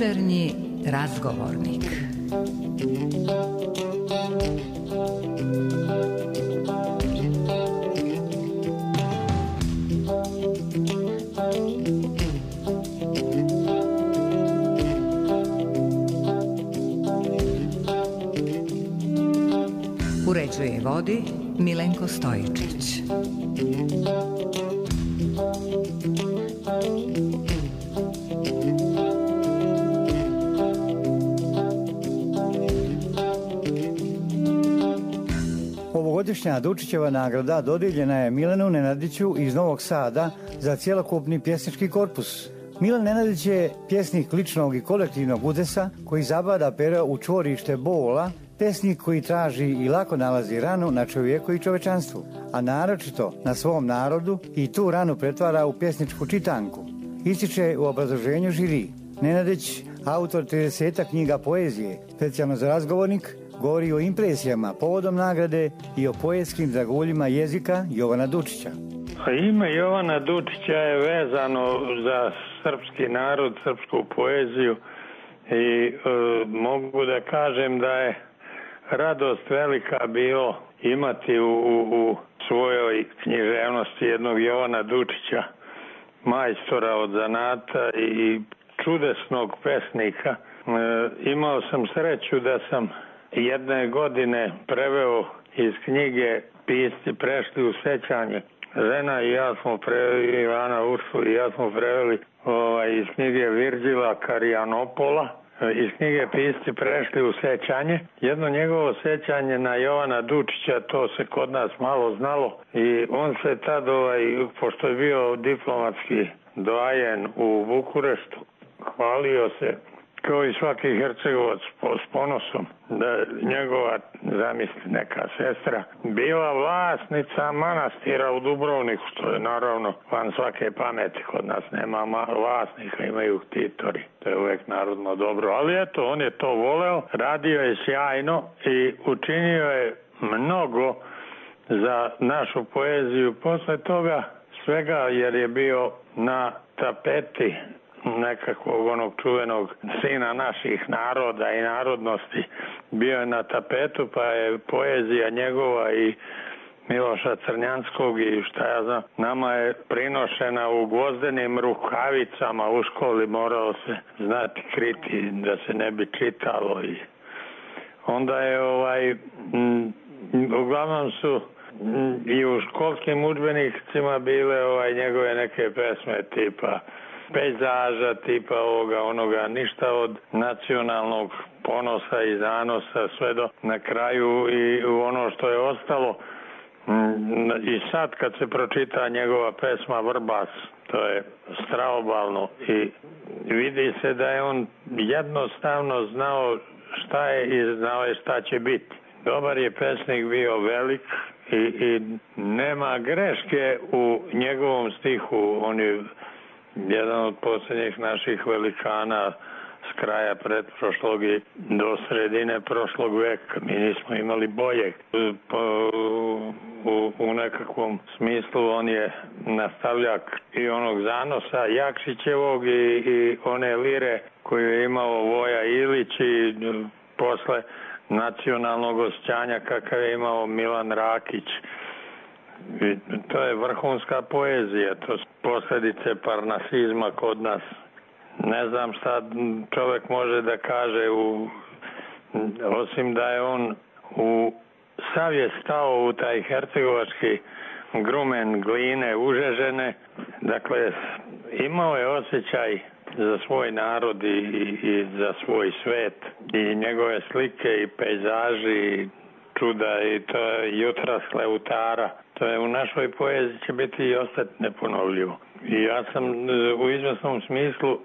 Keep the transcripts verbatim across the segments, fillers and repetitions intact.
Večernji razgovornik. Uređuje i vodi Milenko Stojičić. Ovogodišnja Dučićeva nagrada dodijeljena je Milanu Nenadiću iz Novog Sada za cjelokupni pjesnički korpus. Milan Nenadić je pjesnik ličnog i kolektivnog udesa koji zabada pero u čvorište bola, pesnik koji traži i lako nalazi ranu na čovjeku i čovečanstvu, a naročito na svom narodu i tu ranu pretvara u pjesničku čitanku. Ističe u obrazloženju žiri. Nenadić, autor trideset knjiga poezije, specijalno za razgovornik, govori o impresijama povodom nagrade i o poetskim draguljima jezika Jovana Dučića. Ime Jovana Dučića je vezano za srpski narod, srpsku poeziju i e, mogu da kažem da je radost velika bilo imati u, u, u svojoj književnosti jednog Jovana Dučića, majstora od zanata i čudesnog pesnika. E, imao sam sreću da sam jedne godine preveo iz knjige Pisci prešli u sećanje. Žena i ja smo preveli, Ivana Ursu i ja smo preveli ovaj, iz knjige Virgila Karijanopola, iz knjige Pisci prešli u sećanje. Jedno njegovo sećanje na Jovana Dučića, to se kod nas malo znalo i on se tad, ovaj, pošto je bio diplomatski doajen u Bukureštu, hvalio se kao i svaki Hercegovac s ponosom da njegova, zamisli, neka sestra bila vlasnica manastira u Dubrovniku, što je naravno van svake pameti. Kod nas nema vlasnika, imaju ktitori, to je uvijek narodno dobro, ali eto, on je to voleo, radio je sjajno i učinio je mnogo za našu poeziju posle toga svega, jer je bio na tapeti nekakvog onog čuvenog sina naših naroda i narodnosti, bio je na tapetu, pa je poezija njegova i Miloša Crnjanskog i šta ja znam, nama je prinošena u gvozdenim rukavicama u školi, moralo se znati kriti da se ne bi čitalo i onda je ovaj m, uglavnom su m, i u školskim udžbenicima bile ovaj njegove neke pesme tipa pejzaža, tipa ovoga, onoga, ništa od nacionalnog ponosa i zanosa, sve do na kraju i ono što je ostalo. I sad kad se pročita njegova pesma Vrbas, to je straobalno i vidi se da je on jednostavno znao šta je i znao je šta će biti. Dobar je pesnik bio, velik i, i nema greške u njegovom stihu. On je jedan od posljednjih naših velikana s kraja pretprošlog i do sredine prošlog veka. Mi nismo imali boljeg. Po, u, u nekakvom smislu on je nastavljak i onog zanosa Jakšićevog i, i one lire koju je imao Voja Ilić i posle nacionalnog osjećanja kakav je imao Milan Rakić. I to je vrhunska poezija, to su posljedice parnasizma kod nas. Ne znam šta čovjek može da kaže, u, osim da je on u sav je stao u taj hercegovački grumen gline užežene. Dakle, imao je osjećaj za svoj narod i, i, i za svoj svet i njegove slike i pejzaži i čuda i to je jutra s Leutara. To je u našoj poeziji će biti i ostati neponovljivo. I ja sam u izvjesnom smislu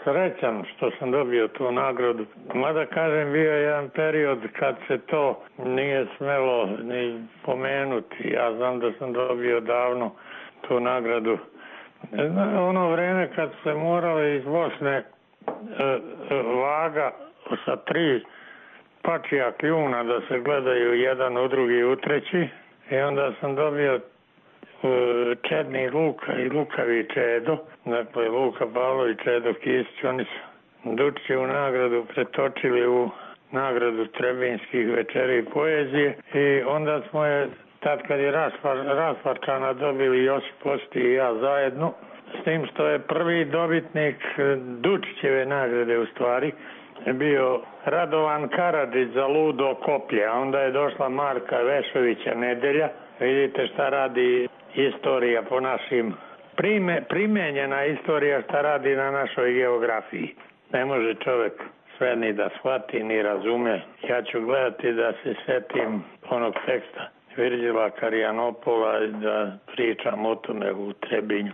srećan što sam dobio tu nagradu. Mada kažem, bio je jedan period kad se to nije smelo ni pomenuti. Ja znam da sam dobio davno tu nagradu. Ono vreme kad se moralo iz Bosne e, e, vaga sa tri pačija kljuna da se gledaju jedan u drugi i u treći. I onda sam dobio Čedni Luka i Lukavi Čedo, dakle Luka Pavlović, Čedo Kisić, oni su Dučićevu nagradu pretočili u nagradu Trebinskih večeri poezije i onda smo je, tad kad je rasparčana, dobili Josip Posti i ja zajedno, s tim što je prvi dobitnik Dučićeve nagrade u stvari bio Radovan Karadžić za Ludo koplje, a onda je došla Marka Vešovića Nedelja. Vidite šta radi istorija po našim, prime, primenjena istorija šta radi na našoj geografiji. Ne može čovjek sve ni da shvati, ni razume. Ja ću gledati da se setim onog teksta Virđila Karijanopola i da pričam o tome u Trebinju.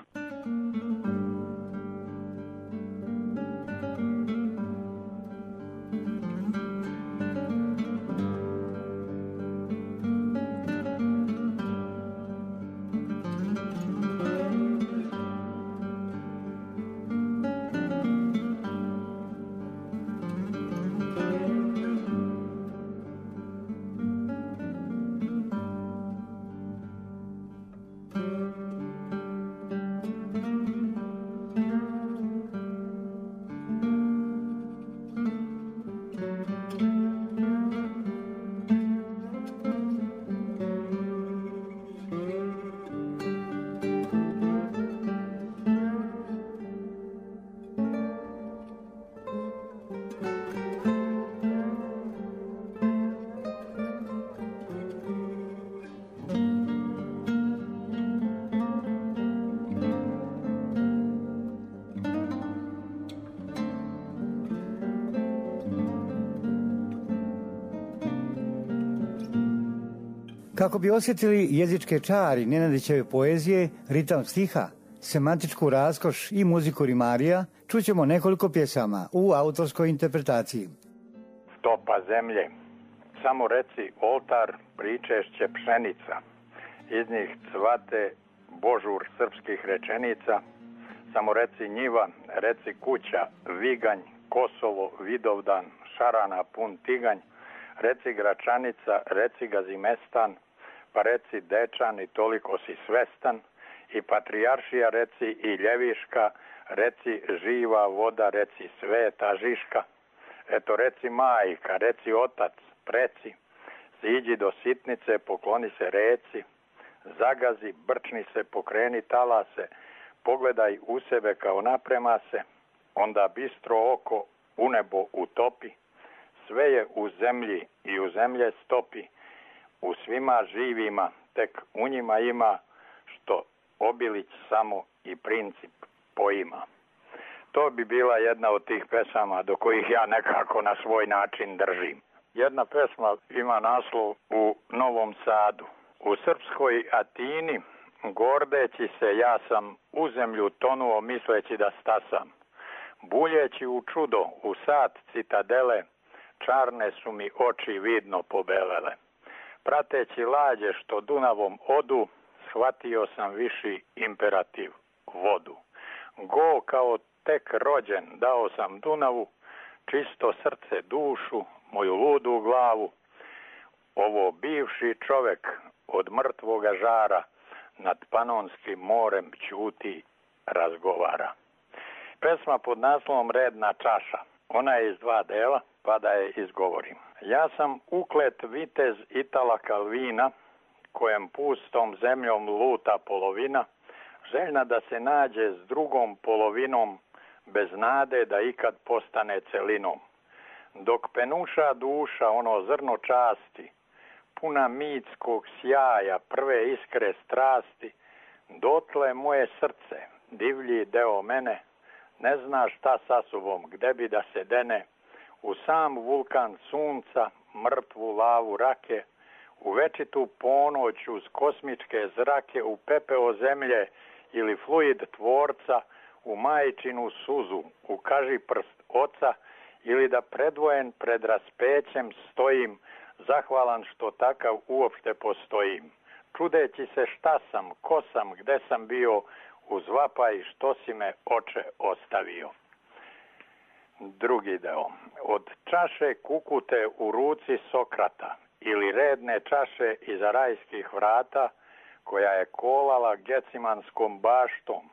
Kako bi osjetili jezičke čari Nenadićeve poezije, ritam stiha, semantičku raskoš i muziku rimarija, čućemo nekoliko pjesama u autorskoj interpretaciji. Stopa zemlje, samo reci oltar, pričešće pšenica, iz njih cvate božur srpskih rečenica, samo reci njiva, reci kuća, viganj, Kosovo, Vidovdan, šarana pun tiganj, reci Gračanica, reci Gazimestan, pa reci Dečan i toliko si svestan, i Patrijaršija reci i Ljeviška, reci živa voda, reci sveta Žiška, eto reci majka, reci otac, preci, siđi do sitnice, pokloni se reci, zagazi, brčni se, pokreni talase, pogledaj u sebe kao naprema se, onda bistro oko u nebo utopi, sve je u zemlji i u zemlje stopi, u svima živima, tek u njima ima, što Obilić samo i princip poima. To bi bila jedna od tih pesama do kojih ja nekako na svoj način držim. Jedna pesma ima naslov U Novom Sadu. U srpskoj Atini, gordeći se, ja sam u zemlju tonuo misleći da stasam. Buljeći u čudo, u sat citadele, čarne su mi oči vidno pobelele. Prateći lađe što Dunavom odu, shvatio sam viši imperativ, vodu. Go kao tek rođen dao sam Dunavu, čisto srce, dušu, moju ludu glavu. Ovo bivši čovek od mrtvoga žara nad Panonskim morem ćuti, razgovara. Pesma pod naslovom Redna čaša. Ona je iz dva dela, pa da je izgovorim. Ja sam uklet vitez Itala Kalvina, kojem pustom zemljom luta polovina, željna da se nađe s drugom polovinom, bez nade da ikad postane celinom. Dok penuša duša ono zrno časti, puna mitskog sjaja, prve iskre strasti, dotle moje srce, divlji deo mene, ne zna šta sa sobom, gde bi da se dene, u sam vulkan sunca, mrtvu lavu rake, u večitu ponoć uz kosmičke zrake, u pepeo zemlje ili fluid tvorca, u majčinu suzu, u kaži prst oca, ili da predvojen pred raspećem stojim, zahvalan što takav uopšte postojim. Čudeći se šta sam, ko sam, gde sam bio, uz vapaj što si me oče ostavio. Drugi deo. Od čaše kukute u ruci Sokrata ili redne čaše iza rajskih vrata, koja je kolala Gecimanskom baštom,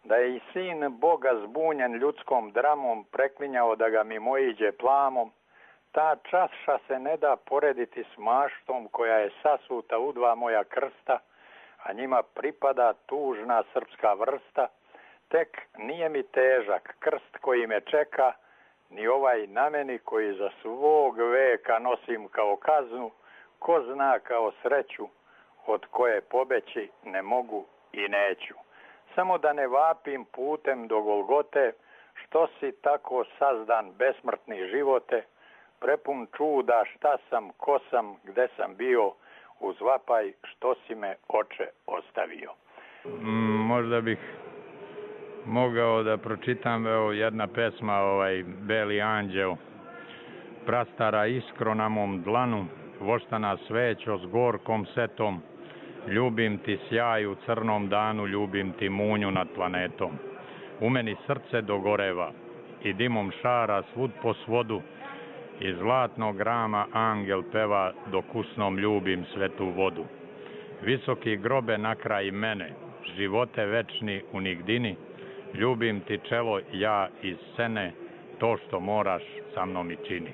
da je i sin Boga zbunjen ljudskom dramom preklinjao da ga mimoiđe plamom, ta čaša se ne da porediti s maštom koja je sasuta u dva moja krsta, a njima pripada tužna srpska vrsta. Tek nije mi težak krst koji me čeka, ni ovaj na meni koji za svog veka nosim kao kaznu, ko zna kao sreću, od koje pobeći ne mogu i neću. Samo da ne vapim putem do Golgote, što si tako sazdan besmrtni živote, prepun čuda šta sam, ko sam, gde sam bio, uz vapaj što si me oče ostavio. Mm, možda bih mogao da pročitam, evo, jedna pesma, ovaj, Beli anđeo. Prastara iskro na mom dlanu, voštana svećo s gorkom setom, ljubim ti sjaj u crnom danu, ljubim ti munju nad planetom. U meni srce dogoreva i dimom šara svud po svodu, iz zlatnog rama angel peva, dok usnom ljubim svetu vodu. Visoki grobe na kraj mene, živote večni u nigdini, ljubim ti čelo ja iz sene, to što moraš sa mnom i čini.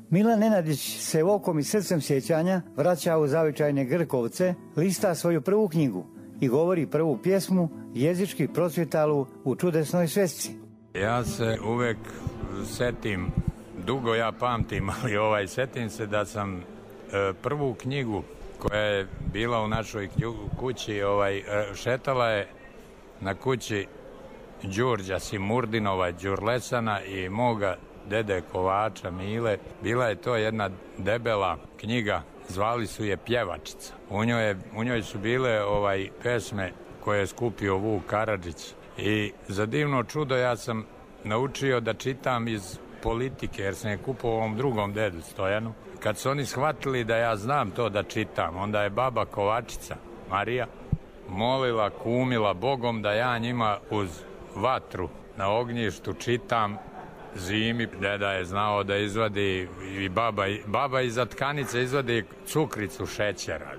Milan Nenadić se okom i srcem sjećanja vraća u zavičajne Grkovce, lista svoju prvu knjigu i govori prvu pjesmu jezički procvjetalu u čudesnoj svesci. Ja se uvek setim, dugo ja pamtim, ali ovaj, setim se da sam e, prvu knjigu koja je bila u našoj kući, ovaj, šetala je na kući Đurđa Simurdinova, Đurlesana i moga dede Kovača Mile. Bila je to jedna debela knjiga, zvali su je Pjevačica. U njoj, je, u njoj su bile ovaj pesme koje je skupio Vuk Karadžić. I za divno čudo ja sam naučio da čitam iz politike, jer sam je kupao ovom drugom dedu Stojanu. Kad su oni shvatili da ja znam to da čitam, onda je baba Kovačica, Marija, molila, kumila Bogom da ja njima uz vatru na ognjištu čitam zimi. Deda je znao da izvadi i baba, baba iza tkanice izvadi cukricu šećera.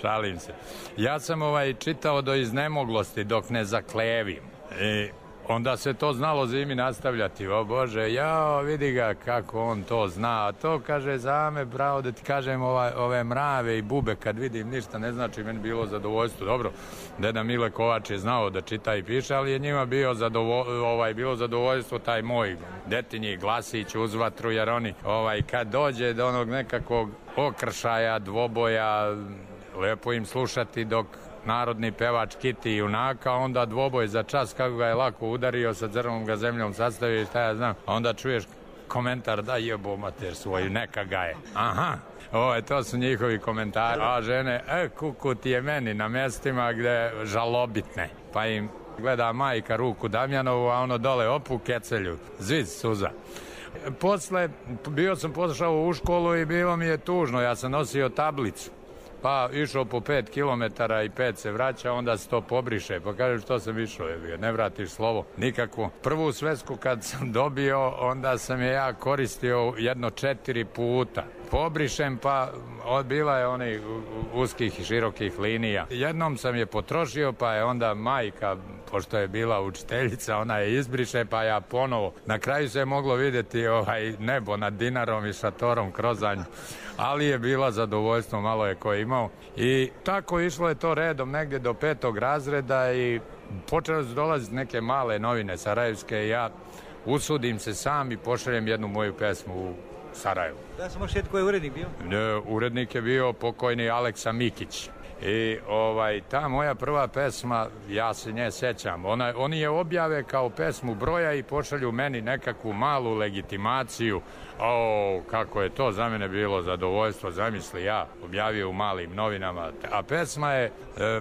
Šalim se. Ja sam ovaj čitao do iznemoglosti dok ne zaklevim. I onda se to znalo zimi nastavljati. O Bože, jao, vidi ga kako on to zna. A to, kaže, za me, bravo, da ti kažem, ova, ove mrave i bube, kad vidim ništa, ne znači meni bilo zadovoljstvo. Dobro, deda Mile Kovač je znao da čita i piše, ali je njima bio zadovo, ovaj, bilo zadovoljstvo taj moj detinji glasić uz vatru, jer oni, ovaj, kad dođe do onog nekakvog okršaja, dvoboja, lepo im slušati dok narodni pevač Kiti junaka, onda dvoboj za čas kako ga je lako udario, sa crnom ga zemljom sastavio i šta ja znam, a onda čuješ komentar da jebo mater svoju, neka ga je. Aha, ovo, to su njihovi komentari. A žene, e, kuku ti je meni na mjestima gde žalobitne. Pa im gleda majka ruku Damjanovu, a ono dole opu kecelju, zviz suza. Posle, bio sam pošao u školu i bilo mi je tužno, ja sam nosio tablicu. Pa išao po pet kilometara i pet se vraća, onda se to pobriše. Pa kaže, što sam išao, ne vratiš slovo nikakvo. Prvu svesku kad sam dobio, onda sam je ja koristio jedno četiri puta. Pobrišem, pa bila je onih uskih i širokih linija. Jednom sam je potrošio, pa je onda majka, pošto je bila učiteljica, ona je izbriše, pa ja ponovo. Na kraju se je moglo vidjeti ovaj nebo nad Dinarom i šatorom Krozanj, ali je bila zadovoljstvo, malo je ko imao. I tako išlo je to redom negdje do petog razreda i počele su dolaziti neke male novine sarajevske i ja usudim se sam i pošaljem jednu moju pesmu u Sarajevu. Da sam ošet, ko je urednik bio? E, urednik je bio pokojni Aleksa Mikić. I ovaj, ta moja prva pesma, ja se nje sećam, ona, oni je objave kao pesmu broja i pošalju meni nekakvu malu legitimaciju. O, kako je to za mene bilo zadovoljstvo, zamisli, ja objavio u malim novinama, a pesma je e,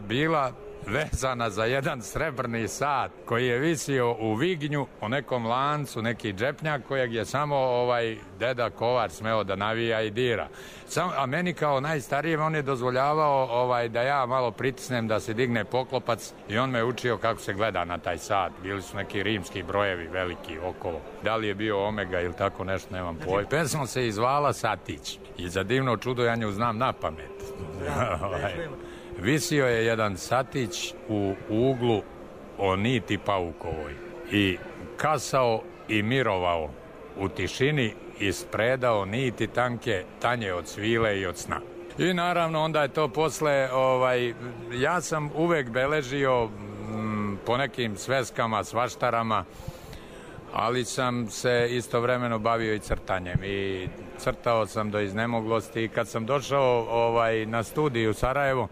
bila vezana za jedan srebrni sat koji je visio u Vignju u nekom lancu, neki džepnjak kojeg je samo ovaj deda Kovar smeo da navija i dira. Sam, a meni kao najstarijem on je dozvoljavao ovaj, da ja malo pritisnem da se digne poklopac i on me učio kako se gleda na taj sat. Bili su neki rimski brojevi veliki okolo. Da li je bio omega ili tako nešto, nemam pojma. Pesma se izvala Satić i za divno čudo ja nju znam na pamet. Visio je jedan satić u uglu o niti paukovoj i kasao i mirovao u tišini i spredao niti tanke tanje od svile i od sna. I naravno onda je to posle, ovaj, ja sam uvek beležio m, po nekim sveskama, svaštarama, ali sam se istovremeno bavio i crtanjem i crtao sam do iznemoglosti i kad sam došao ovaj, na studiju u Sarajevo,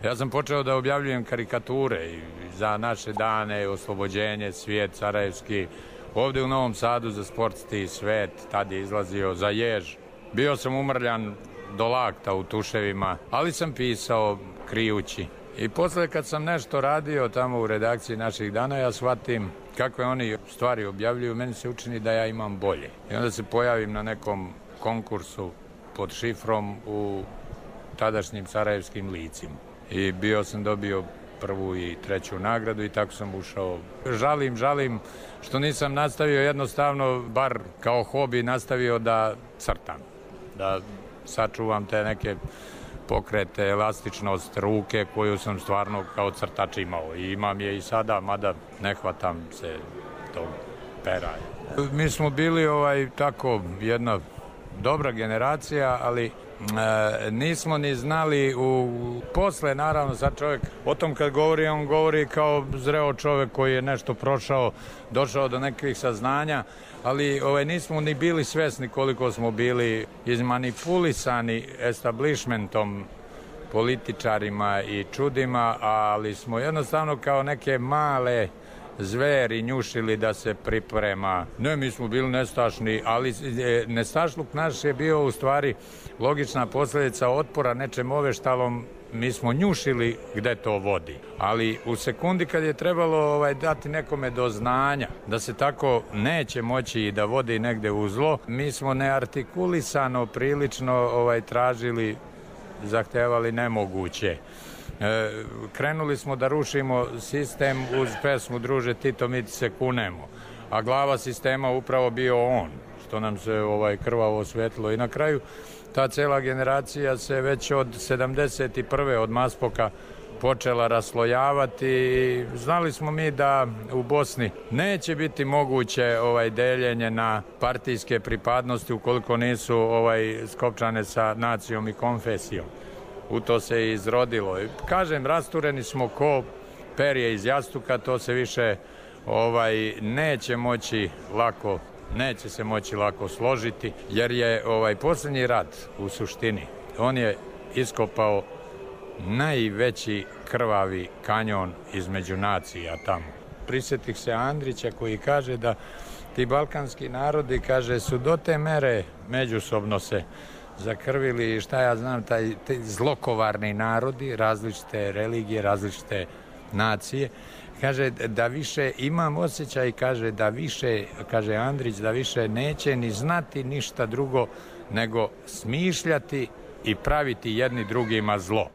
ja sam počeo da objavljujem karikature za naše dane, Oslobođenje, Svijet sarajevski, ovde u Novom Sadu za Sportski svet, tad je izlazio za Jež. Bio sam umrljan do lakta u tuševima, ali sam pisao krijući. I posle kad sam nešto radio tamo u redakciji naših dana, ja shvatim kakve oni stvari objavljuju, meni se učini da ja imam bolje. I onda se pojavim na nekom konkursu pod šifrom u tadašnjim sarajevskim licima. I bio sam dobio prvu i treću nagradu i tako sam ušao. Žalim, žalim što nisam nastavio jednostavno, bar kao hobi, nastavio da crtam. Da sačuvam te neke pokrete, elastičnost ruke koju sam stvarno kao crtač imao. I imam je i sada, mada ne hvatam se tog pera. Mi smo bili ovaj tako jedna dobra generacija, ali E, nismo ni znali u posle, naravno sad čovjek o tom kad govori, on govori kao zreo čovjek koji je nešto prošao, došao do nekih saznanja, ali ovaj, nismo ni bili svesni koliko smo bili izmanipulisani establishmentom, političarima i čudima, ali smo jednostavno kao neke male zveri njušili da se priprema. Ne, mi smo bili nestašni, ali nestašluk naš je bio u stvari logična posljedica otpora nečem oveštalom. Mi smo njušili gde to vodi, ali u sekundi kad je trebalo ovaj, dati nekome do znanja da se tako neće moći i da vodi negde u zlo, mi smo neartikulisano prilično ovaj, tražili, zahtevali nemoguće. E, krenuli smo da rušimo sistem uz pesmu Druže Tito, mi ti se kunemo, a glava sistema upravo bio on, što nam se ovaj, krvavo osvetilo. I na kraju ta cela generacija se već od sedamdeset prve od Maspoka počela raslojavati i znali smo mi da u Bosni neće biti moguće ovaj deljenje na partijske pripadnosti ukoliko nisu ovaj skopčane sa nacijom i konfesijom. U to se i izrodilo. I kažem, rastureni smo ko perje iz jastuka, to se više ovaj neće moći lako, neće se moći lako složiti, jer je ovaj posljednji rat u suštini, on je iskopao najveći krvavi kanjon između nacija tamo. Prisjetih se Andrića koji kaže da ti balkanski narodi, kaže, su do te mere međusobno se zakrvili, šta ja znam, taj, taj zlokovarni narodi, različite religije, različite nacije. Kaže da više imam osjećaj, kaže da više, kaže Andrić, da više neće ni znati ništa drugo nego smišljati i praviti jedni drugima zlo.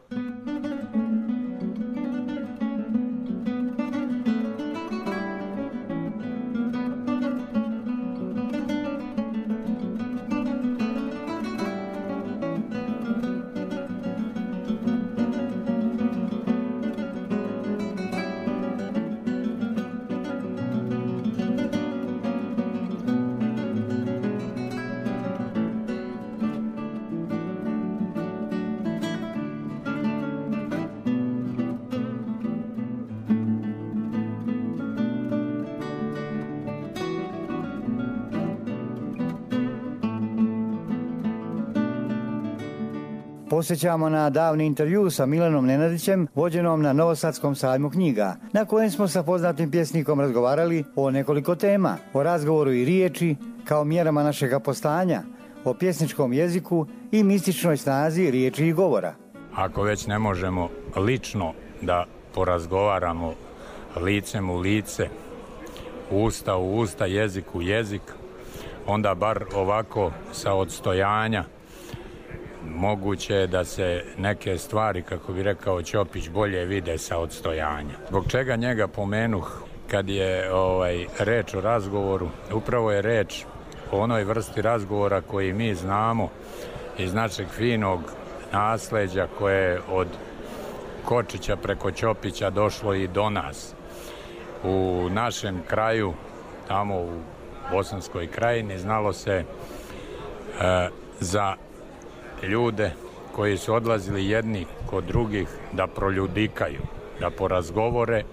posjećamo na davni intervju sa Milanom Nenadićem, vođenom na Novosadskom sajmu knjiga, na kojem smo sa poznatim pjesnikom razgovarali o nekoliko tema, o razgovoru i riječi, kao mjerama našega postanja, o pjesničkom jeziku i mističnoj snazi riječi i govora. Ako već ne možemo lično da porazgovaramo licem u lice, usta u usta, jezik u jezik, onda bar ovako sa odstojanja moguće je da se neke stvari, kako bi rekao Ćopić, bolje vide sa odstojanja. Zbog čega njega pomenuh kad je ovaj, reč o razgovoru? Upravo je reč o onoj vrsti razgovora koji mi znamo iz našeg finog nasleđa koje je od Kočića preko Ćopića došlo i do nas. U našem kraju, tamo u Bosanskoj krajini, znalo se e, za ljude koji su odlazili jedni kod drugih da proljudikaju, da porazgovore.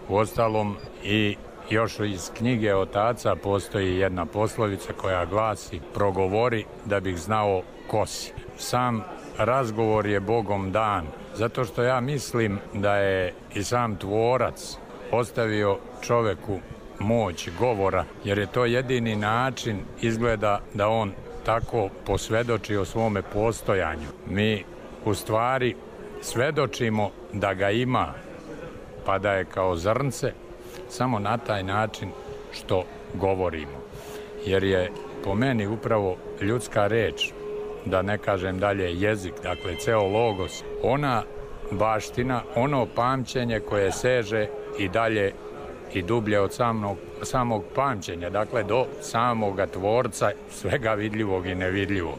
Uostalom i još iz knjige otaca postoji jedna poslovica koja glasi: progovori da bih znao ko si. Sam razgovor je Bogom dan, zato što ja mislim da je i sam tvorac ostavio čoveku moć govora, jer je to jedini način, izgleda, da on tako posvedoči o svome postojanju. Mi u stvari svedočimo da ga ima, pa da je kao zrnce, samo na taj način što govorimo. Jer je po meni upravo ljudska reč, da ne kažem dalje jezik, dakle ceo logos, ona baština, ono pamćenje koje seže i dalje i dublje od samog, samog pamćenja, dakle do samoga tvorca svega vidljivog i nevidljivog.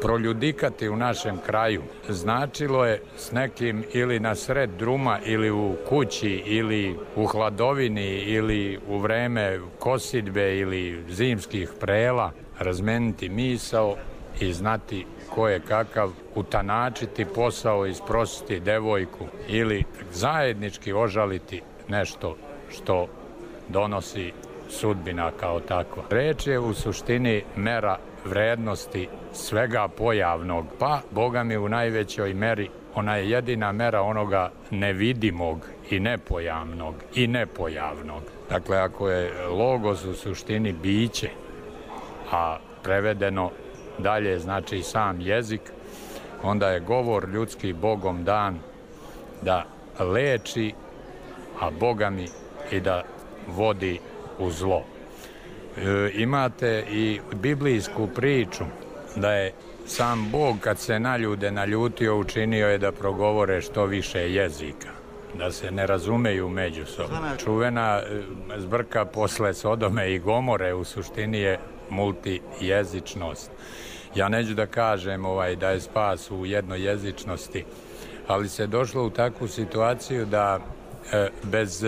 Proljudikati u našem kraju značilo je s nekim ili na sred druma ili u kući ili u hladovini ili u vreme kosidbe ili zimskih prela razmeniti misao i znati ko je kakav, utanačiti posao, isprositi devojku ili zajednički ožaliti nešto što donosi sudbina kao takva. Reč je u suštini mera vrednosti svega pojavnog, pa Boga mi u najvećoj meri ona je jedina mera onoga nevidimog i nepojavnog i nepojavnog. Dakle, ako je logos u suštini biće, a prevedeno dalje znači sam jezik, onda je govor ljudski Bogom dan da leči, a Boga mi i da vodi u zlo. E, imate i biblijsku priču da je sam Bog kad se na ljude naljutio učinio je da progovore što više jezika, da se ne razumeju međusobno. Čuvena zbrka posle Sodome i Gomore u suštini je multijezičnost. Ja neću da kažem ovaj, da je spas u jednojezičnosti, ali se došlo u takvu situaciju da e, bez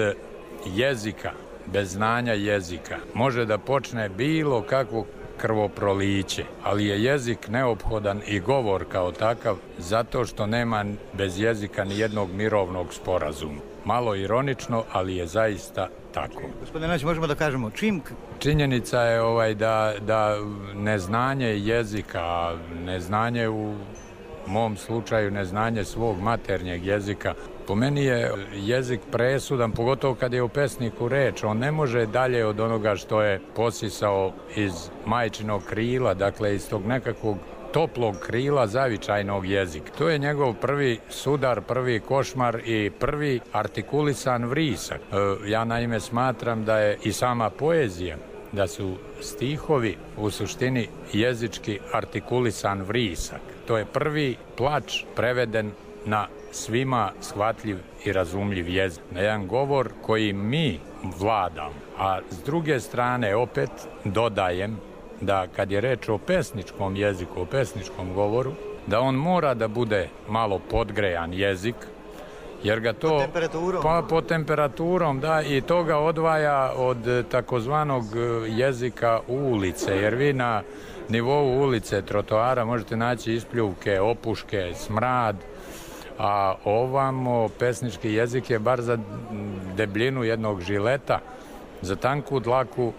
jezika, bez znanja jezika, može da počne bilo kakvo krvoproliće, ali je jezik neophodan i govor kao takav, zato što nema bez jezika ni jednog mirovnog sporazuma. Malo ironično, ali je zaista tako. Gospodine Nenadić, možemo da kažemo čim... Činjenica je ovaj da, da neznanje jezika, neznanje u mom slučaju, neznanje svog maternjeg jezika, po meni je jezik presudan, pogotovo kad je u pesniku reč. On ne može dalje od onoga što je posisao iz majčinog krila, dakle iz tog nekakvog toplog krila zavičajnog jezika. To je njegov prvi sudar, prvi košmar i prvi artikulisan vrisak. E, ja naime smatram da je i sama poezija, da su stihovi u suštini jezički artikulisan vrisak. To je prvi plač preveden na svima shvatljiv i razumljiv jezik. Na jedan govor koji mi vladamo. A s druge strane opet dodajem da kad je reč o pesničkom jeziku, o pesničkom govoru, da on mora da bude malo podgrejan jezik, jer ga to... Po temperaturom? Pa po temperaturom, da, i to ga odvaja od takozvanog jezika ulice, jer vi na nivou ulice, trotoara možete naći ispljuvke, opuške, smrad, a ovamo pesnički jezik je bar za debljinu jednog žileta, za tanku dlaku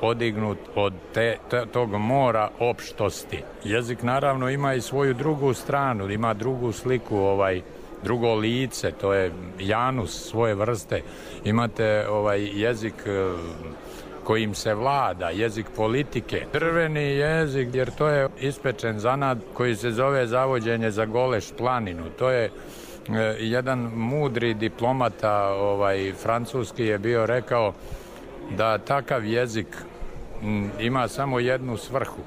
odignut od te, te, tog mora opštosti. Jezik naravno ima i svoju drugu stranu, ima drugu sliku, ovaj, drugo lice, to je Janus svoje vrste. Imate ovaj jezik kojim se vlada, jezik politike. Drveni jezik, jer to je ispečen zanat koji se zove zavođenje za Goleš planinu. To je jedan mudri diplomata ovaj, francuski je bio rekao da takav jezik m, ima samo jednu svrhu,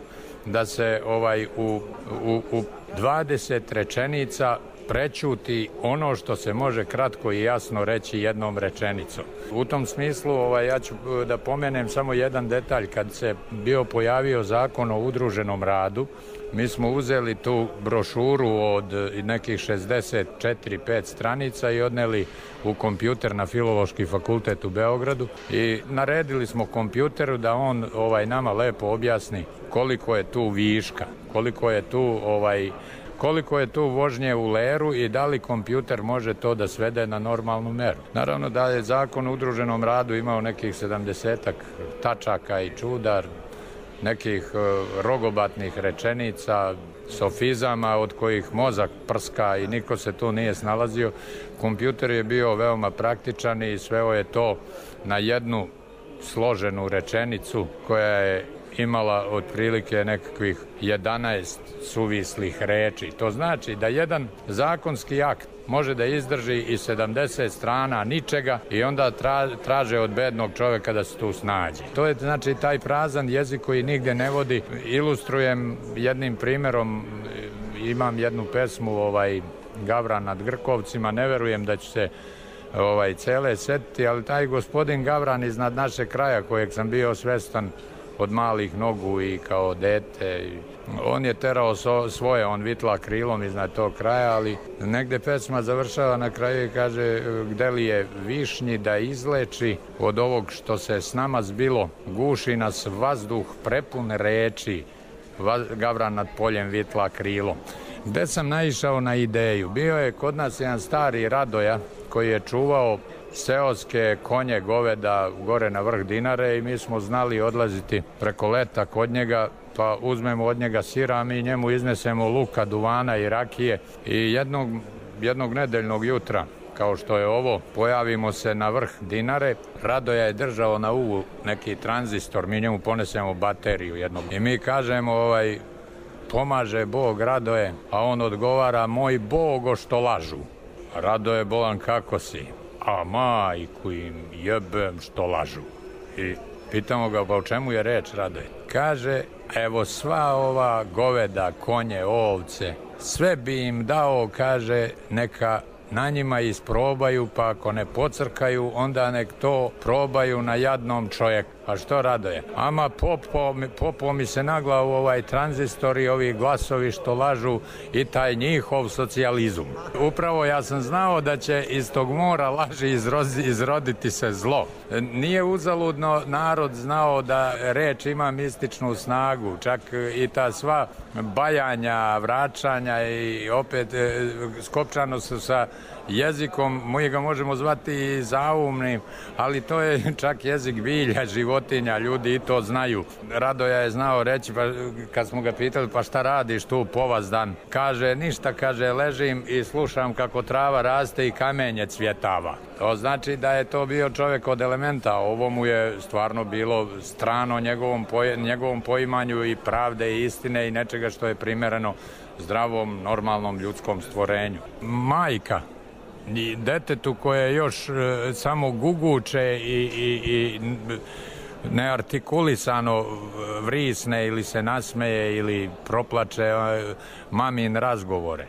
da se ovaj u, u, u dvadeset rečenica prećuti ono što se može kratko i jasno reći jednom rečenicom. U tom smislu ovaj, ja ću da pomenem samo jedan detalj. Kad se bio pojavio zakon o udruženom radu, mi smo uzeli tu brošuru od nekih šezdeset četiri pet stranica i odneli u kompjuter na Filološki fakultet u Beogradu i naredili smo kompjuteru da on ovaj nama lepo objasni koliko je tu viška, koliko je tu ovaj koliko je tu vožnje u leru i da li kompjuter može to da svede na normalnu meru. Naravno da je zakon o udruženom radu imao nekih sedamdesetak tačaka i čudar, nekih rogobatnih rečenica, sofizama od kojih mozak prska i niko se tu nije snalazio. Kompjuter je bio veoma praktičan i sveo je to na jednu složenu rečenicu koja je imala otprilike nekakvih jedanaest suvislih reči. To znači da jedan zakonski akt može da izdrži i sedamdeset strana ničega i onda tra, traže od bednog čoveka da se tu snađe. To je znači taj prazan jezik koji nigde ne vodi. Ilustrujem jednim primjerom, imam jednu pesmu ovaj, Gavran nad Grkovcima, ne verujem da ću se ovaj, cele setiti, ali taj gospodin Gavran iznad našeg kraja kojeg sam bio svestan od malih nogu i kao dete. On je terao so, svoje, on vitla krilom iznad tog kraja, ali negde pesma završava na kraju i kaže gde li je višnji da izleči od ovog što se s nama zbilo, guši nas vazduh prepun reči, Gavran nad poljem vitla krilom. Gde sam naišao na ideju? Bio je kod nas jedan stari Radoja koji je čuvao seoske konje, goveda gore na vrh Dinare i mi smo znali odlaziti preko leta kod njega, pa uzmemo od njega sira, a mi njemu iznesemo luka, duvana i rakije i jednog, jednog nedeljnog jutra, kao što je ovo, pojavimo se na vrh Dinare. Radoja je držao na uvu neki tranzistor, mi njemu ponesemo bateriju jednog i mi kažemo ovaj, pomaže Bog Radoje, a on odgovara moj Bogo što lažu. Radoje bolan kako si? A majku im jebem što lažu. I pitamo ga, pa o čemu je reč, Radoje? Kaže, evo sva ova goveda, konje, ovce, sve bi im dao, kaže, neka na njima isprobaju, pa ako ne pocrkaju, onda nek to probaju na jadnom čovjeku. A što Radoje? Ama popo, popo mi se na glavu ovaj tranzistor i ovi glasovi što lažu i taj njihov socijalizam. Upravo ja sam znao da će iz tog mora laži izrozi, izroditi se zlo. Nije uzaludno narod znao da reč ima mističnu snagu, čak i ta sva bajanja, vraćanja i opet e, skopčano su sa jezikom, mi ga možemo zvati i zaumnim, ali to je čak jezik bilja, životinja, ljudi i to znaju. Radoja je znao reći, pa kad smo ga pitali, pa šta radiš tu povazdan? Kaže, ništa, kaže, ležim i slušam kako trava raste i kamenje cvjetava. To znači da je to bio čovjek od elementa, ovo mu je stvarno bilo strano njegovom, poj njegovom poimanju i pravde i istine i nečega što je primereno zdravom, normalnom ljudskom stvorenju. Majka i detetu koje još e, samo guguče i, i, i neartikulisano vrisne ili se nasmeje ili proplače e, mamin razgovore.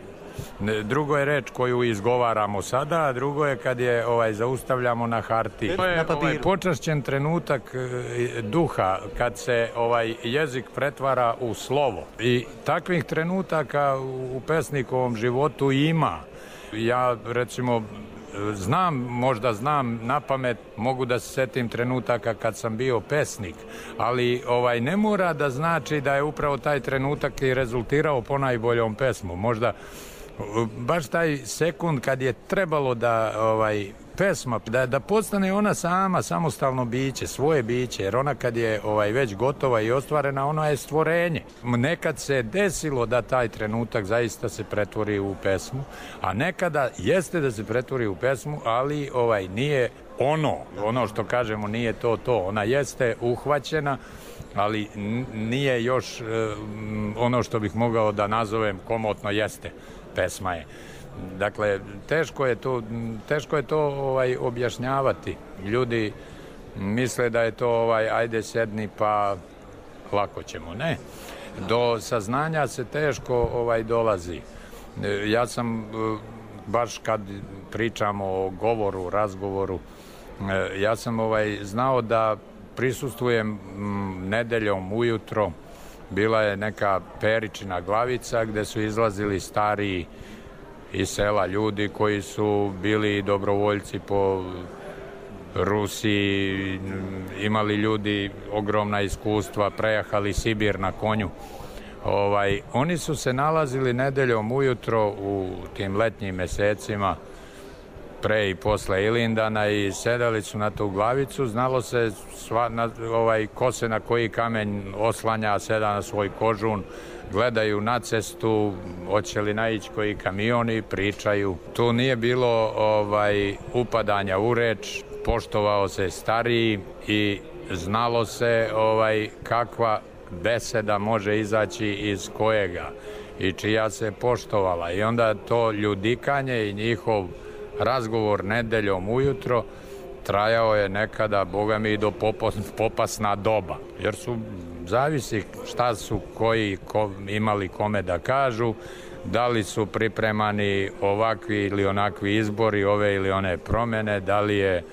Drugo je reč koju izgovaramo sada, a drugo je kad je ovaj zaustavljamo na hartiji. To je ovaj počašćen trenutak e, duha kad se ovaj jezik pretvara u slovo. I takvih trenutaka u pesnikovom životu ima. Ja recimo znam, možda znam na pamet, mogu da se setim trenutaka kad sam bio pesnik, ali ovaj ne mora da znači da je upravo taj trenutak i rezultirao ponajboljom pesmu. Možda baš taj sekund kad je trebalo da ovaj pesma, da, da postane ona sama, samostalno biće, svoje biće, jer ona kad je ovaj, već gotova i ostvarena, ona je stvorenje. Nekad se desilo da taj trenutak zaista se pretvori u pesmu, a nekada jeste da se pretvori u pesmu, ali ovaj nije ono, ono što kažemo nije to to, ona jeste uhvaćena, ali nije još ono što bih mogao da nazovem komotno jeste, pesma je. Dakle, teško je to, teško je to ovaj, objašnjavati. Ljudi misle da je to ovaj, ajde sedni pa lako ćemo. Ne. Do saznanja se teško ovaj, dolazi. Ja sam, baš kad pričamo o govoru, razgovoru, ja sam ovaj, znao da prisustvujem nedeljom ujutro. Bila je neka Peričina glavica gde su izlazili stariji iz sela ljudi koji su bili dobrovoljci po Rusiji, imali ljudi ogromna iskustva, prejahali Sibir na konju. Ovaj, oni su se nalazili nedeljom ujutro u tim letnjim mesecima pre i posle Ilindana i sedali su na tu glavicu, znalo se sva, na, ovaj, ko se na koji kamen oslanja, seda na svoj kožun, gledaju na cestu, hoće li naići koji kamioni, pričaju. Tu nije bilo ovaj, upadanja u reč, poštovao se stariji i znalo se ovaj, kakva beseda može izaći iz kojega i čija se poštovala. I onda to ljudikanje i njihov razgovor nedeljom ujutro trajao je nekada, boga mi, i do popasna doba, jer su zavisi šta su koji ko, imali kome da kažu, da li su pripremani ovakvi ili onakvi izbori, ove ili one promene, da li je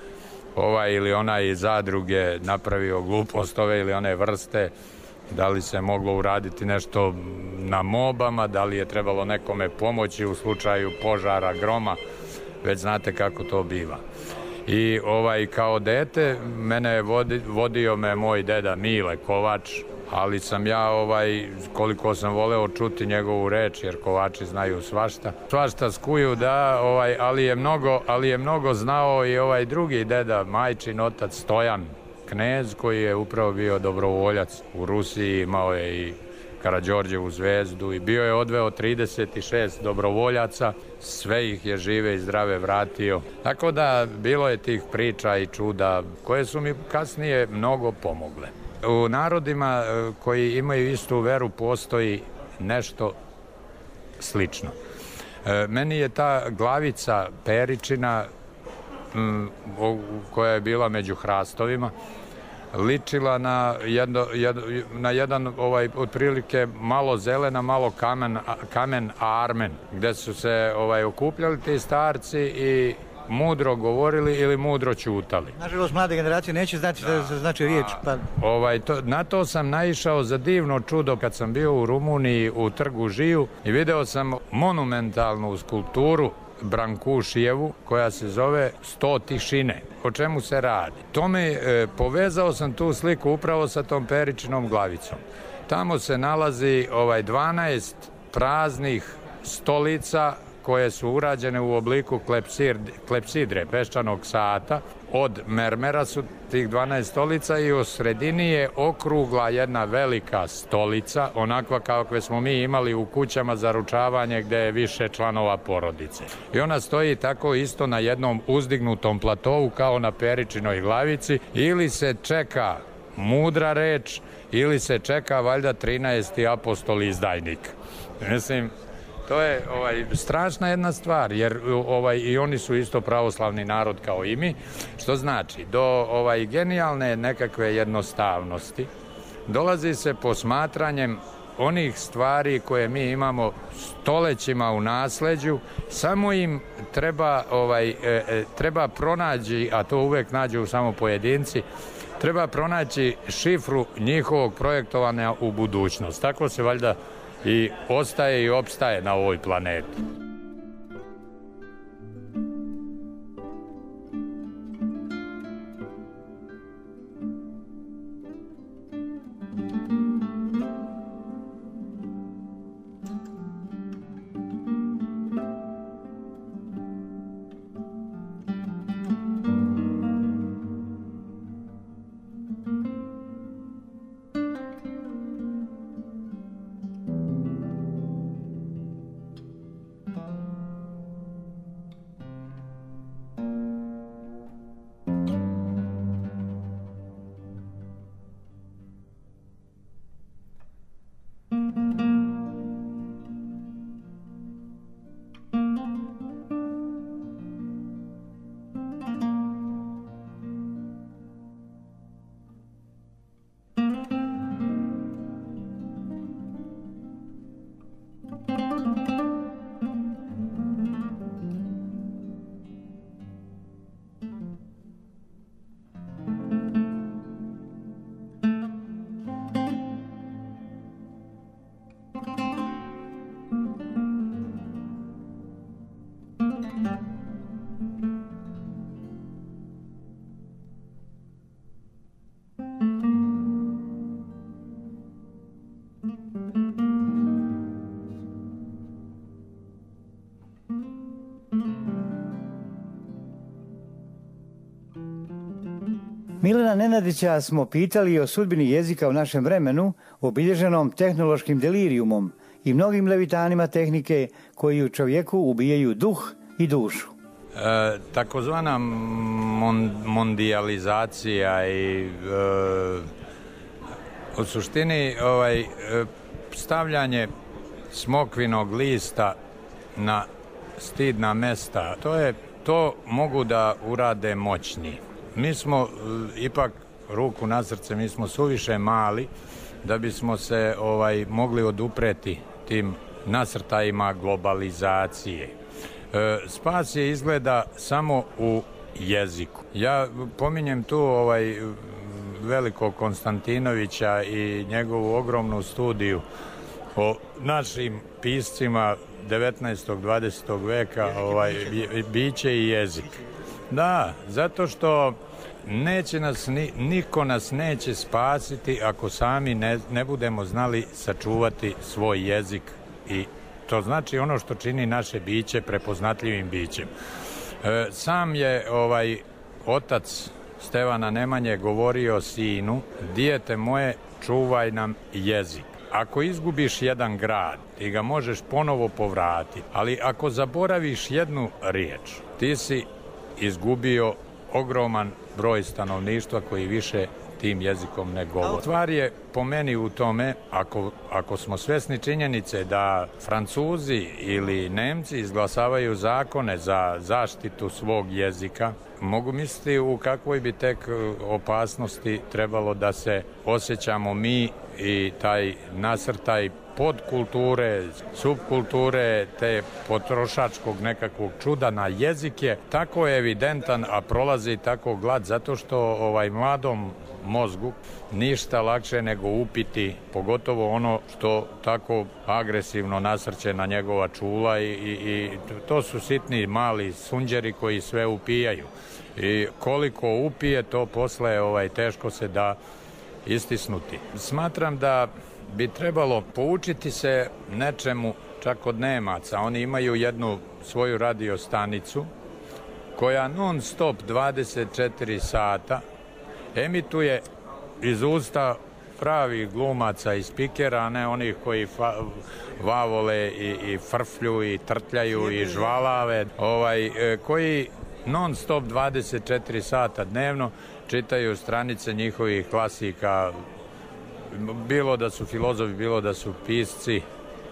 ovaj ili onaj iz zadruge napravio glupost ove ili one vrste, da li se moglo uraditi nešto na mobama, da li je trebalo nekome pomoći u slučaju požara, groma, već znate kako to biva. I ovaj, kao dete mene je vodi, vodio me moj deda Mile Kovač, ali sam ja, ovaj, koliko sam voleo čuti njegovu reč, jer Kovači znaju svašta. Svašta skuju, da, ovaj, ali, je mnogo, ali je mnogo znao i ovaj drugi deda, majčin otac Stojan Knez, koji je upravo bio dobrovoljac u Rusiji, imao je i Karađorđevu zvezdu i bio je odveo trideset šest dobrovoljaca, sve ih je žive i zdrave vratio. Tako da bilo je tih priča i čuda koje su mi kasnije mnogo pomogle. U narodima koji imaju istu veru postoji nešto slično. Meni je ta glavica Peričina, koja je bila među hrastovima, ličila na, jedno, jedno, na jedan ovaj, otprilike malo zelena, malo kamen, kamen armen, gde su se ovaj, okupljali ti starci i mudro govorili ili mudro ćutali. Nažalost, mlade generacije neće znati šta se znači riječ. Pa... Ovaj, to, na to sam naišao za divno čudo kad sam bio u Rumuniji u trgu Žiju i video sam monumentalnu skulpturu Brankušijevu, koja se zove Sto tišine. O čemu se radi? Tome e, povezao sam tu sliku upravo sa tom Peričinom glavicom. Tamo se nalazi ovaj dvanaest praznih stolica koje su urađene u obliku klepsidre, peščanog sata. Od mermera su tih dvanaest stolica i u sredini je okrugla jedna velika stolica, onakva kakve smo mi imali u kućama za ručavanje gde je više članova porodice. I ona stoji tako isto na jednom uzdignutom platovu kao na Peričinoj glavici, ili se čeka mudra reč, ili se čeka valjda trinaesti apostol izdajnik. Mislim, to je ovaj, strašna jedna stvar, jer ovaj, i oni su isto pravoslavni narod kao i mi, što znači do ovaj, genijalne nekakve jednostavnosti dolazi se posmatranjem onih stvari koje mi imamo stolećima u nasleđu, samo im treba, ovaj, e, treba pronaći, a to uvek nađu samo pojedinci, treba pronaći šifru njihovog projektovanja u budućnost. Tako se valjda i ostaje i opstaje na ovoj planeti. Milana Nenadića smo pitali o sudbini jezika u našem vremenu, obilježenom tehnološkim delirijumom i mnogim levitanima tehnike koji u čovjeku ubijaju duh i dušu. E, takozvana mon, mondijalizacija i e, u suštini ovaj, e, stavljanje smokvinog lista na stidna mesta, to je to mogu da urade moćni. Mi smo e, ipak ruku na srce, mi smo suviše mali da bismo se ovaj mogli odupreti tim nasrtajima globalizacije. E, spas je izgleda samo u jeziku. Ja pominjem tu ovaj velikog Konstantinovića i njegovu ogromnu studiju o našim piscima devetnaestog dvadesetog veka, ovaj, biće i jezik. Da, zato što neće nas, niko nas neće spasiti ako sami ne, ne budemo znali sačuvati svoj jezik, i to znači ono što čini naše biće prepoznatljivim bićem. E, sam je ovaj otac Stevana Nemanje govorio sinu: dijete moje, čuvaj nam jezik. Ako izgubiš jedan grad, ti ga možeš ponovo povratiti, ali ako zaboraviš jednu riječ, ti si izgubio ogroman broj stanovništva koji više tim jezikom ne govori. Stvar je po meni u tome, ako, ako smo svesni činjenice da Francuzi ili Nemci izglasavaju zakone za zaštitu svog jezika, mogu misliti u kakvoj bi tek opasnosti trebalo da se osjećamo mi i taj nasrtaj podkulture, subkulture, te potrošačkog nekakvog čuda na jezik je tako evidentan, a prolazi tako glad, zato što ovaj mladom mozgu ništa lakše nego upiti, pogotovo ono što tako agresivno nasrće na njegova čula, i, i, i to su sitni mali sunđeri koji sve upijaju. I koliko upije, to posle ovaj, teško se da istisnuti. Smatram da bi trebalo poučiti se nečemu čak od Nemaca. Oni imaju jednu svoju radio stanicu koja non stop dvadeset četiri sata emituje iz usta pravih glumaca i spikera, a ne onih koji fa, vavole i, i frflju i trtljaju i žvalave, ovaj, koji non stop dvadeset četiri sata dnevno čitaju stranice njihovih klasika, bilo da su filozofi, bilo da su pisci,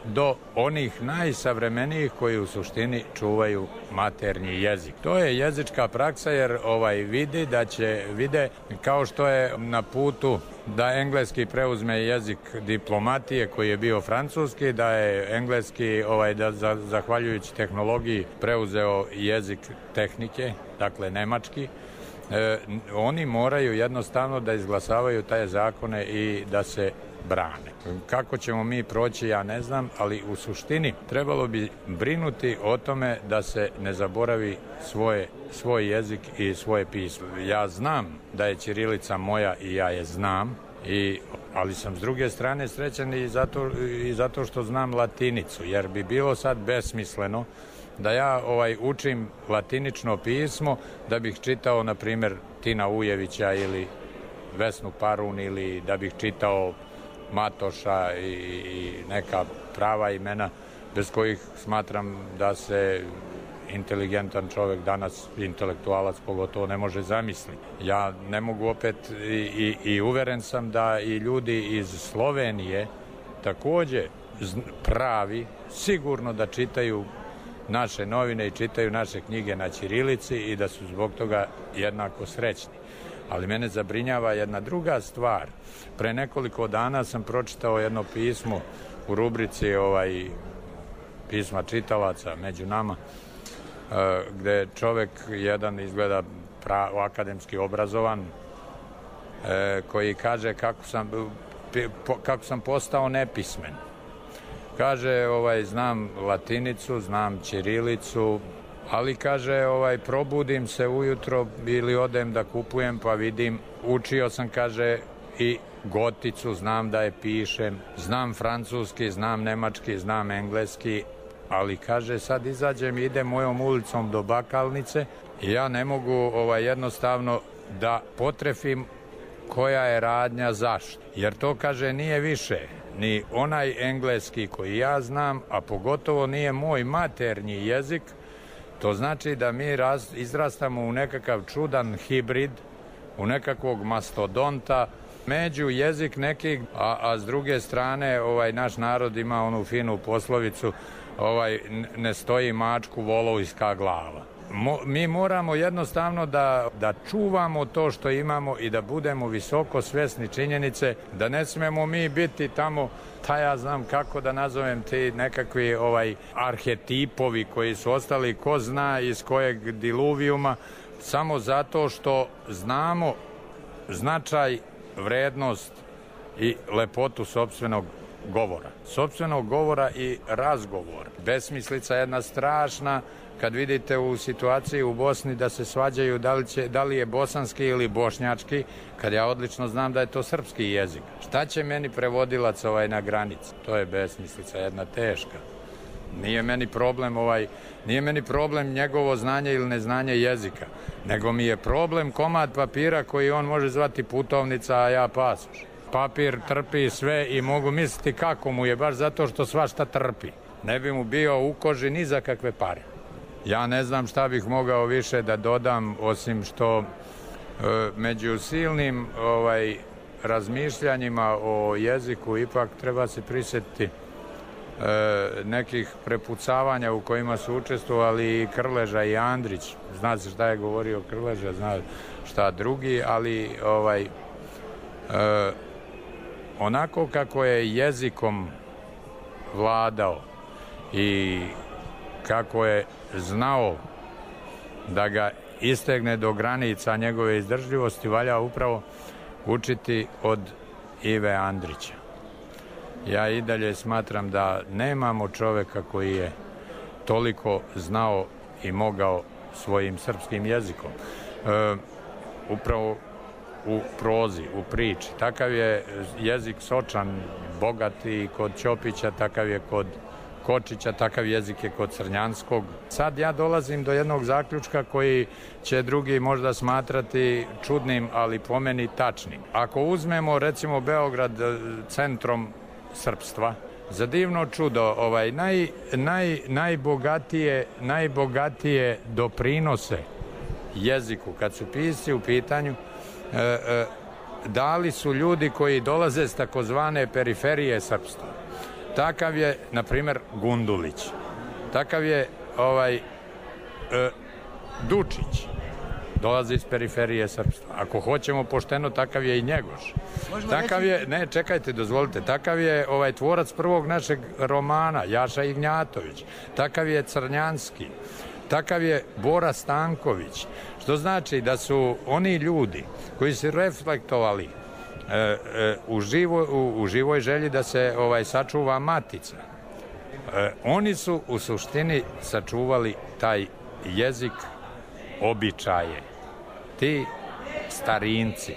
do onih najsavremenijih koji u suštini čuvaju maternji jezik. To je jezička praksa, jer ovaj vidi da će, vide kao što je na putu da engleski preuzme jezik diplomatije koji je bio francuski, da je engleski ovaj da zahvaljujući tehnologiji preuzeo jezik tehnike, dakle nemački. E, oni moraju jednostavno da izglasavaju taj zakone i da se brane. Kako ćemo mi proći, ja ne znam, ali u suštini trebalo bi brinuti o tome da se ne zaboravi svoje, svoj jezik i svoje pismo. Ja znam da je ćirilica moja i ja je znam, i, ali sam s druge strane srećan i zato, i zato što znam latinicu, jer bi bilo sad besmisleno da ja ovaj učim latinično pismo da bih čitao, na primjer, Tina Ujevića ili Vesnu Parun, ili da bih čitao Matoša i, i neka prava imena bez kojih smatram da se inteligentan čovjek danas, intelektualac pogotovo, ne može zamisliti. Ja ne mogu opet i, i, i uveren sam da i ljudi iz Slovenije također pravi, sigurno da čitaju naše novine i čitaju naše knjige na ćirilici i da su zbog toga jednako srećni. Ali mene zabrinjava jedna druga stvar. Pre nekoliko dana sam pročitao jedno pismo u rubrici ovaj, pisma čitalaca među nama, gde čovjek jedan izgleda pra, akademski obrazovan, koji kaže kako sam, kako sam postao nepismen. Kaže, ovaj, znam latinicu, znam ćirilicu, ali kaže, ovaj, probudim se ujutro ili odem da kupujem pa vidim, učio sam, kaže, i goticu, znam da je pišem, znam francuski, znam nemački, znam engleski, ali kaže, sad izađem i idem mojom ulicom do Bakalnice i ja ne mogu ovaj, jednostavno da potrefim koja je radnja zašto. Jer to, kaže, nije više ni onaj engleski koji ja znam, a pogotovo nije moj maternji jezik. To znači da mi raz, izrastamo u nekakav čudan hibrid, u nekakvog mastodonta, među jezik nekih, a, a s druge strane ovaj naš narod ima onu finu poslovicu, ovaj ne stoji mačku volovska glava. Mo, mi moramo jednostavno da, da čuvamo to što imamo i da budemo visoko svesni činjenice da ne smemo mi biti tamo, ta ja znam kako da nazovem ti nekakvi ovaj arhetipovi koji su ostali ko zna iz kojeg diluvijuma, samo zato što znamo značaj, vrednost i lepotu sopstvenog govora. Sopstvenog govora i razgovora. Besmislica jedna strašna kad vidite u situaciji u Bosni da se svađaju da li, će, da li je bosanski ili bošnjački, kad ja odlično znam da je to srpski jezik. Šta će meni prevodilac ovaj na granici? To je besmislica jedna teška. Nije meni problem ovaj, nije meni problem njegovo znanje ili neznanje jezika, nego mi je problem komad papira koji on može zvati putovnica, a ja pasoš. Papir trpi sve i mogu misliti kako mu je, baš zato što svašta trpi. Ne bi mu bio u koži ni za kakve pare. Ja ne znam šta bih mogao više da dodam, osim što e, među silnim ovaj, razmišljanjima o jeziku ipak treba se prisjetiti e, nekih prepucavanja u kojima su učestvovali i Krleža i Andrić. Zna se šta je govorio Krleža, zna šta drugi, ali ovaj, e, onako kako je jezikom vladao i kako je znao da ga istegne do granica njegove izdržljivosti, valja upravo učiti od Ive Andrića. Ja i dalje smatram da nemamo čoveka koji je toliko znao i mogao svojim srpskim jezikom. E, upravo u prozi, u priči. Takav je jezik sočan, bogat i kod Ćopića, takav je kod Kočića, takav jezik je kod Crnjanskog. Sad ja dolazim do jednog zaključka koji će drugi možda smatrati čudnim, ali po meni tačnim. Ako uzmemo recimo Beograd centrom srpstva, za divno čudo, ovaj, naj, naj, najbogatije, najbogatije doprinose jeziku, kad su pisci u pitanju, e, e, dali su ljudi koji dolaze s takozvane periferije srpstva. Takav je, na primjer, Gundulić. Takav je ovaj, e, Dučić. Dolazi iz periferije srpstva. Ako hoćemo pošteno, takav je i Njegoš. Takav je, ne, čekajte, dozvolite, takav je ovaj tvorac prvog našeg romana, Jaša Ignjatović. Takav je Crnjanski. Takav je Bora Stanković. Što znači da su oni ljudi koji su reflektovali E, e, u, živo, u, u živoj želji da se ovaj sačuva matica. E, oni su u suštini sačuvali taj jezik, običaje. Ti starinci.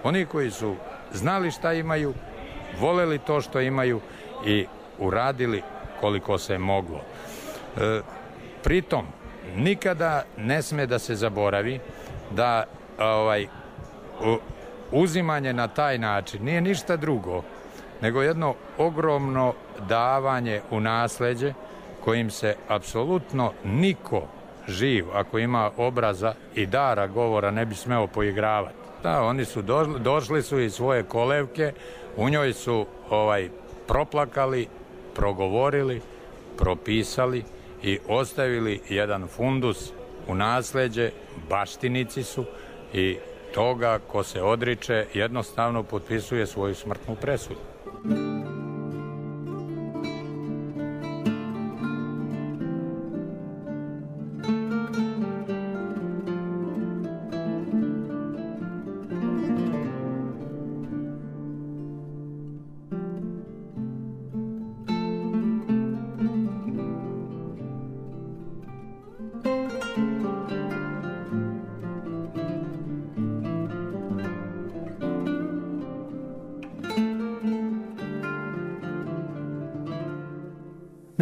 Oni koji su znali šta imaju, voleli to što imaju i uradili koliko se moglo. E, pritom, nikada ne sme da se zaboravi da ovaj u, uzimanje na taj način nije ništa drugo nego jedno ogromno davanje u nasleđe kojim se apsolutno niko živ, ako ima obraza i dara govora, ne bi smeo poigravati. Da, oni su došli, došli su iz svoje kolevke, u njoj su ovaj proplakali, progovorili, propisali i ostavili jedan fundus u nasleđe, baštinici su i toga ko se odriče jednostavno potpisuje svoju smrtnu presudu.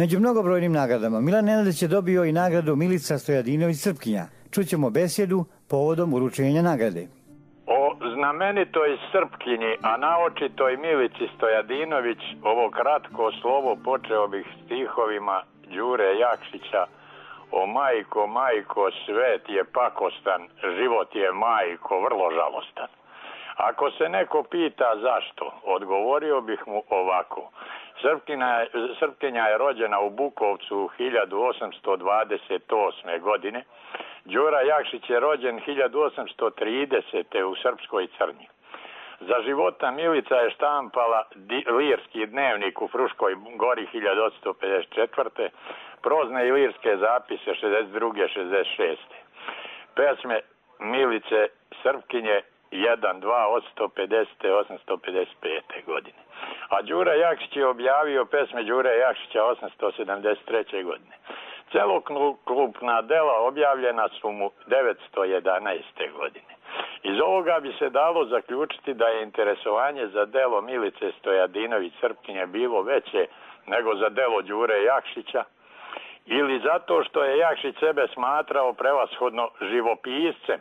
Među mnogobrojnim nagradama Milan Nenadić je dobio i nagradu Milica Stojadinović Srpkinja. Čućemo besjedu povodom uručenja nagrade. O znamenitoj Srpkinji, a naočitoj Milici Stojadinović, ovo kratko slovo počeo bih stihovima Đure Jakšića. O majko, majko, svet je pakostan, život je majko, vrlo žalostan. Ako se neko pita zašto, odgovorio bih mu ovako. Srpkinja, Srpkinja je rođena u Bukovcu hiljadu osamsto dvadeset osme. godine. Đura Jakšić je rođen hiljadu osamsto tridesete. u Srpskoj Crnji. Za života Milica je štampala lirski dnevnik u Fruškoj Gori hiljadu osamsto pedeset četvrte. prozne i lirske zapise šezdeset druge. šezdeset šeste. Pesme Milice Srpkinje jedan, dva, osamsto pedesete. osamsto pedeset pete. godine. A Đura Jakšić je objavio pesme Đure Jakšića osamsto sedamdeset treće. godine. Celokupna dela objavljena su mu devetsto jedanaeste. godine. Iz ovoga bi se dalo zaključiti da je interesovanje za delo Milice Stojadinović Srpkinje bilo veće nego za delo Đure Jakšića, ili zato što je Jakšić sebe smatrao prevashodno živopiscem,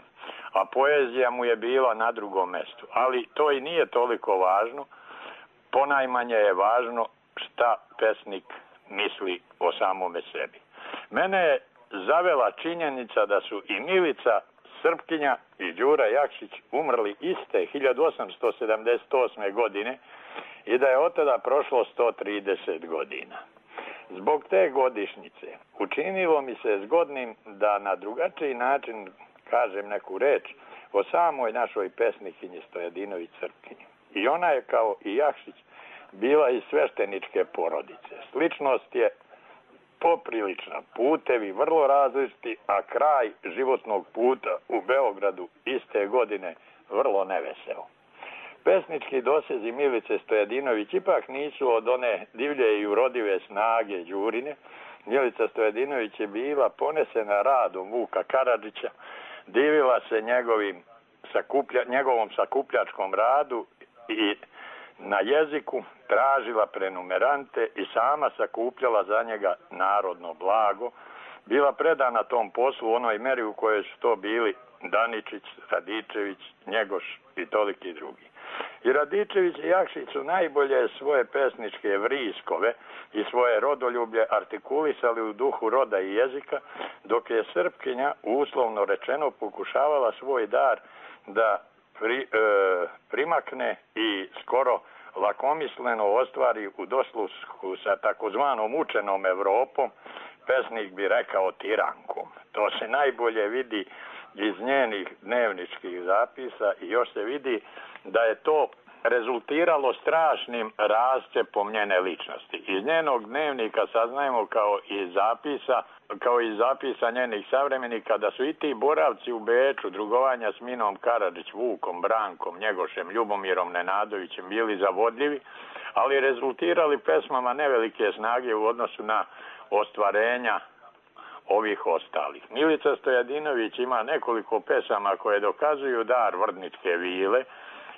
a poezija mu je bila na drugom mestu. Ali to i nije toliko važno, ponajmanje je važno šta pesnik misli o samome sebi. Mene je zavela činjenica da su i Milica Srpkinja i Đura Jakšić umrli iste hiljadu osamsto sedamdeset osme. godine i da je od tada prošlo sto trideset godina. Zbog te godišnjice učinilo mi se zgodnim da na drugačiji način kažem neku reč o samoj našoj pesnikinji Stojadinović Srpkinji. I ona je kao i Jakšić bila iz svešteničke porodice. Sličnost je poprilična, putevi vrlo različiti, a kraj životnog puta u Beogradu iste godine vrlo neveseo. Pesnički dosezi Milice Stojadinović ipak nisu od one divlje i urodive snage Đurine. Milica Stojadinović je bila ponesena radom Vuka Karadžića, divila se njegovim sakuplja, njegovom sakupljačkom radu i na jeziku tražila prenumerante i sama sakupljala za njega narodno blago. Bila predana tom poslu u onoj meri u kojoj su to bili Daničić, Radičević, Njegoš i toliki drugi. I Radičević i Jakšić su najbolje svoje pesničke vriskove i svoje rodoljublje artikulisali u duhu roda i jezika, dok je Srpkinja, uslovno rečeno, pokušavala svoj dar da pri, e, primakne i skoro lakomisleno ostvari u doslusku sa takozvanom učenom Evropom, pesnik bi rekao tirankom. To se najbolje vidi iz njenih dnevničkih zapisa i još se vidi da je to rezultiralo strašnim rascepom njene ličnosti. Iz njenog dnevnika saznajemo kao i zapisa, kao i zapisa njenih savremenika da su i ti boravci u Beču, drugovanja s Minom Karadžić, Vukom, Brankom, Njegošem, Ljubomirom Nenadovićem bili zavodljivi, ali rezultirali pesmama nevelike snage u odnosu na ostvarenja ovih ostalih. Milica Stojadinović ima nekoliko pesama koje dokazuju dar Vrdničke vile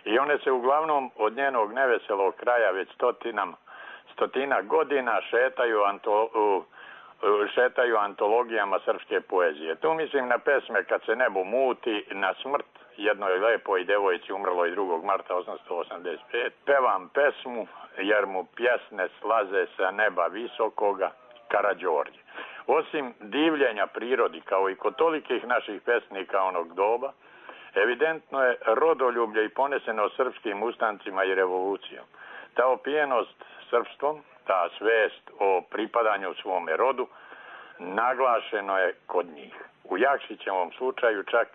i one se uglavnom od njenog neveselog kraja već stotinam, stotina godina šetaju, anto, šetaju antologijama srpske poezije. Tu mislim na pesme Kad se nebo muti, Na smrt jednoj lepoj devojci umrloj drugog marta osamsto osamdeset pete. Pevam pesmu jer mu pjesne slaze sa neba visokoga, Karađorđe. Osim divljenja prirodi, kao i kod tolikih naših pesnika onog doba, evidentno je rodoljublje i poneseno srpskim ustancima i revolucijom. Ta opijenost srpstvom, ta svest o pripadanju svome rodu, naglašeno je kod njih. U Jakšićevom slučaju čak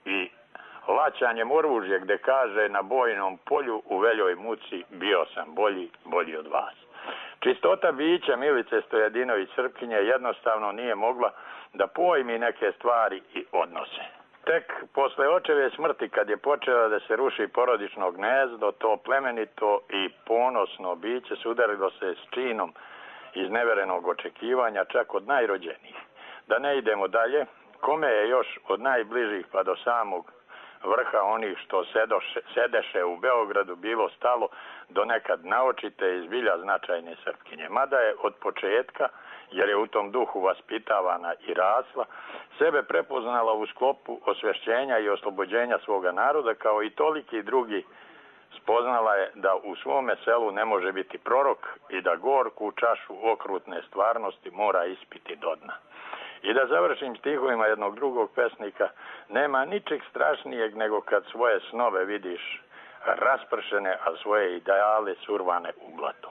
i laćanjem oružja, gde kaže na bojnom polju u veljoj muci bio sam bolji, bolji od vas. Čistota bića Milice Stojadinović Srpkinje jednostavno nije mogla da pojmi neke stvari i odnose. Tek posle očeve smrti, kad je počela da se ruši porodično gnezdo, to plemenito i ponosno biće sudarilo se s činom iz neverenog očekivanja, čak od najrođenijih. Da ne idemo dalje, kome je još od najbližih pa do samog vrha onih što sedoše, sedeše u Beogradu bilo stalo do nekad naočite i zbilja značajne Srpkinje. Mada je od početka, jer je u tom duhu vaspitavana i rasla, sebe prepoznala u sklopu osvešćenja i oslobođenja svoga naroda, kao i toliki drugi. Spoznala je da u svome selu ne može biti prorok i da gorku čašu okrutne stvarnosti mora ispiti do dna. I da završim stihovima jednog drugog pesnika, nema ničeg strašnijeg nego kad svoje snove vidiš raspršene, a svoje ideale survane u blato.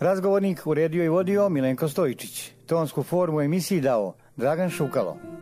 Razgovornik uredio i vodio Milenko Stojičić. Tonsku formu emisiji dao Dragan Šukalo.